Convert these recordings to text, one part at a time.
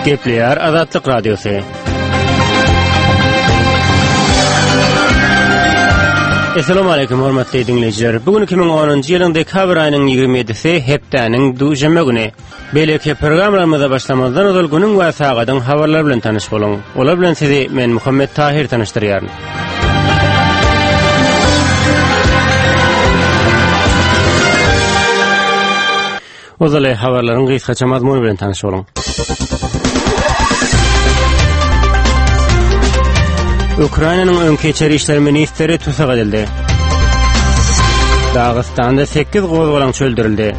Gepleýär Azatlyk Radiosy. Assalamu alaykum hormatly diňleýjiler. Bu gün 2010-njy ýylyň dekabr aýynyň 27-si hepdäniň duşenbe güni. Beýleki programmalarymyza başlamazdan ozal günüň we sagadyň habarlary bilen tanyş boluň. Olar bilen sizi men Muhammet Tahir tanyşdyrýaryn. Ozaly habarlaryň gysgaça mazmuny bilen tanyş boluň. Ukrainanyň öňki içeri işler ministri tussag edildi. Dagystanda 8 gozgalaňçy öldürildi.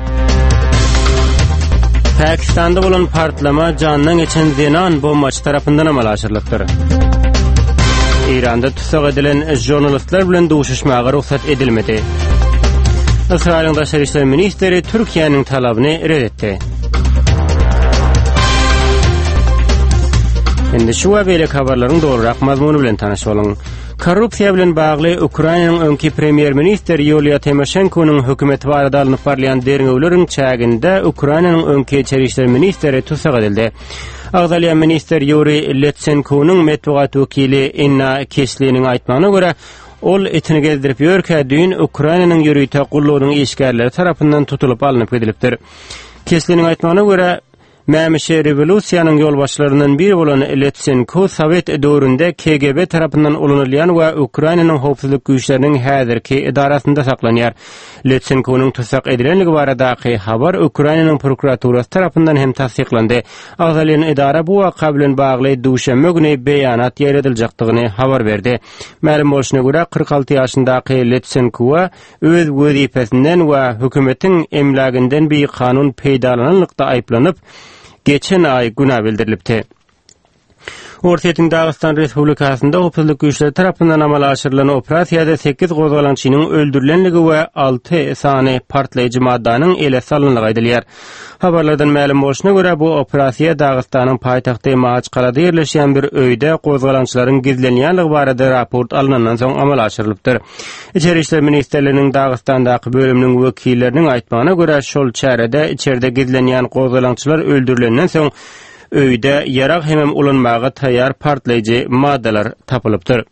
Pakistanda bolan partlama jandan geçen zenan bombaçy tarapyndan amala aşyrylypdyr. Eýranda tussag edilen žurnalistler bilen duşuşmaga rugsat edilmedi. Ysraýylyň daşary işler ministri Türkiýäniň talabyny ret etdi. Indi şu we beýleki habarlaryň dolurak mazmuny bilen tanyş boluň. Korrupsiýa bilen bagly Ukrainanyň öňki premýer-ministri Ýuliýa Timoşenkonyň hökümeti barada alnyp barylýan derňewleriň çäginde Ukrainanyň öňki içeri işler ministri tussag edildi. Agzalýan ministr Ýuriý Letsenkonyň metbugat wekili Inna Kisliniň aýtmagyna görä, ol itini gezdirip ýörkä düýn Ukrainanyň ýörite gullugynyň işgärleri tarapyndan tutulyp alnyp gidilipdir. Kisliniň aýtmagyna görä, Mämişi rewolýusiýanyň ýolbaşçylaryndan biri bolan Letsenko sowet döwründe KGB tarapyndan ulanylýan we Ukrainanyň howpsuzlyk güýçleriniň häzirki edarasynda saklanýar. Letsenkonyň tussag edilenligi baradaky habar Ukrainanyň prokuraturasy tarapyndan hem tassyklandy. Agzalýan edara bu waka bilen bagly duşenbe güni beýanat ýaýradyljakdygyny habar berdi. Mälim bolşuna görä, 46 ýaşyndaky Letsenkowa öz wezipesinden we hökümetiň emläginden bikanun peýdalananlykda aýyplanyp, geçen aý günä bildirilipdi. Orsýetiň Dagystan Respublikasynda howpsuzlyk güýçleri tarapyndan amala aşyrylan operasiýada sekiz gozgalaňçynyň öldürilenligi we alty sany partlaýjy maddanyň ele salynandygy aýdylýar. Habarlardan mälim bolşuna görä, bu operasiýa Dagystanyň paýtagty Mahaçkalada ýerleşýän bir öýde gozgalaňçylaryň gizlenýänligi barada raport alnandan soň amala aşyrylypdyr. Içeri işler ministrliginiň Dagystandaky bölüminiň wekilleriniň aýtmagyna görä, şol çärede içerde gizlenýän gozgalaňçylar öldürilenden soň, öýde ýarag hemem ulanmaga taýýar partlaýjy maddalar tapylypdyr.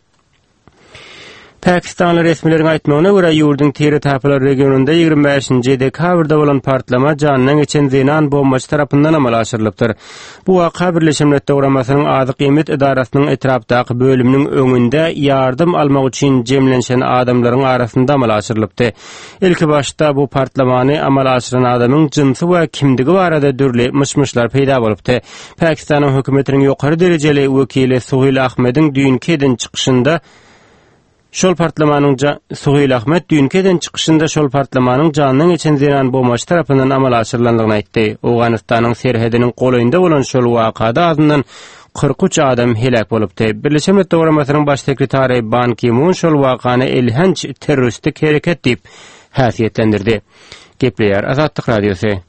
Pakistanly resmileriň aýtmagyna görä, ýurduň Tire-Tapalar regionynda 25-nji dekabrda bolan partlama janyndan geçen zenan bombaçy tarapyndan amala aşyrylypdyr. Bu waka Birleşen Milletler Guramasynyň Azyk-iýmit edarasynyň etrapdaky bölüminiň öňünde ýardam almak üçin jemlenşen adamlaryň arasynda amala aşyrylypdy. Ilkibaşda bu partlamany amala aşyran adamyň jynsy we kimdigi barada dürli myş-myşlar peýda bolupdy. Pakistanyň hökümetiniň ýokary derejeli wekili Suhil Ahmediň düýnki eden çykyşynda şol partlamanyň Suhil Ahmed düýnki eden çykyşynda şol partlamanyň jandan geçen zenan bombaçy tarapyndan amala aşyrylandygyny aýtdy. Owganystanyň serhediniň golaýynda bolan şol wakada azyndan 43 adam heläk bolupdy. Birleşen Milletler Guramasynyň Baş sekretary Ban Ki-mun şol wakany elhenç terroristik hereket diýip häsiýetlendirdi. Gepleýär Azatlyk Radiosy.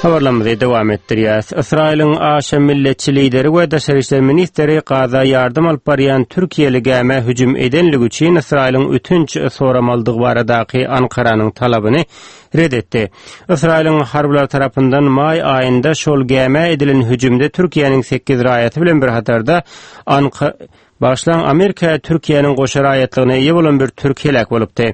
Habarlarymyzy dowam etdirýäs. Ysraýylyň aşa milletçi lideri we daşary işler ministri Gaza ýardam alyp barýan türkiýeli gämä hüjüm edenligi üçin Ysraýylyň ötünç soramalydygy baradaky Ankaranyň talabyny ret etdi. Ysraýylyň harbylary tarapyndan maý aýynda şol gämä edilen hüjümde Türkiýäniň sekiz raýaty bilen bir hatarda Anka Bagyşlaň Amerika Türkiýäniň goşa raýatlygyna eýe bolan bir türk heläk bolupdy.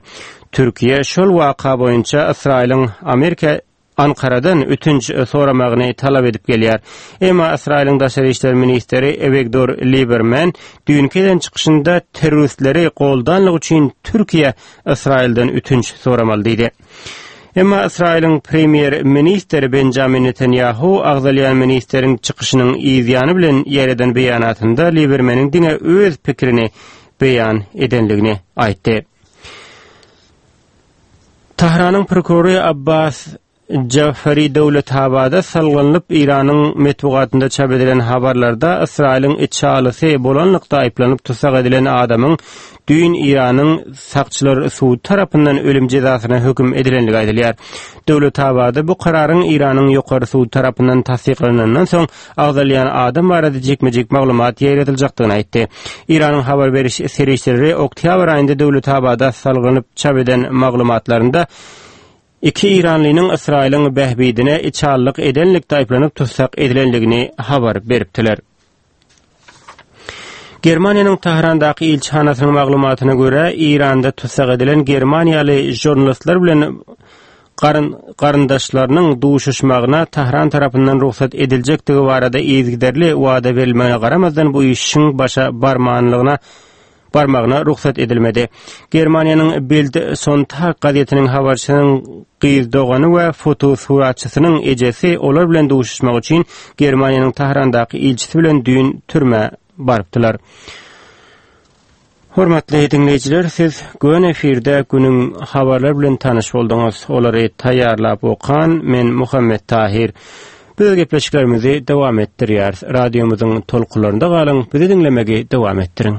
Türkiýe şol waka boýunça Ysraýylyň Amerika Ankaradan ötünç soramagyny talap edip gelýär. Emma Ysraýylyň daşary işler ministri Ewigdor Liberman düýnki eden çykyşynda terroristleri goldanlygy üçin Türkiýe Ysraýyldan ötünç soramaly diýdi. Emma Ysraýylyň premýer-ministri Benjamin Netanýahu agzalýan ministriň çykyşynyň yzýany bilen ýaýradan beýanatynda Libermeniň diňe öz pikirini beýan edenligini aýtdy. Tahranyň prokurory Abbas Jafari Döwletabada salgylanyp, Eýranyň metbugatynda çap edilen habarlarda Ysraýylyň içalysy bolanlykda aýyplanyp tussag edilen adamyň düýn Eýranyň sakçylar sudy tarapyndan ölüm jezasyna höküm edilenligi aýdylýar. Döwletabada bu kararyň Eýranyň ýokary sudy tarapyndan tassyklanandan soň agzalýan adam barada jikme-jik maglumat ýaýradyljakdygyny aýtdy. Eýranyň habar beriş serişdeleri oktýabr aýynda Döwletabada salgylanyp çap eden maglumatlarynda. İki Iranlynyň Ysraýylyň bähbidine içalylyk edenlikde aýyplanyp tussag edilendigini habar beripdiler. Germaniýanyň Tährandaky ilçihanasynyň maglumatyna görä, Eýranda tussag edilen germaniýaly žurnalistler bilen garyn garyndaşlarynyň duşuşmagyna Tähran tarapyndan rugsat ediljekdigi barada yzygiderli wada berilmegine garamazdan bu işiň başa barmanlygyna barmagyna rugsat edilmedi. Germaniýanyň Bild Sonntag gazetiniň habarçysynyň gyz dogany we fotosuratçysynyň ejesi olar bilen duşuşmak üçin Germaniýanyň Tährandaky ilçisi bilen düýn türmä barypdylar. Hormatly diňleýjiler, siz göni efirde günüň habarlary bilen tanyş bolduňyz. Olary taýýarlap okan men Muhammet Tahir. Biz gepleşiklerimizi dowam etdirýäris. Radiomyzyň tolkunlarynda galyň, bizi diňlemegi dowam etdiriň.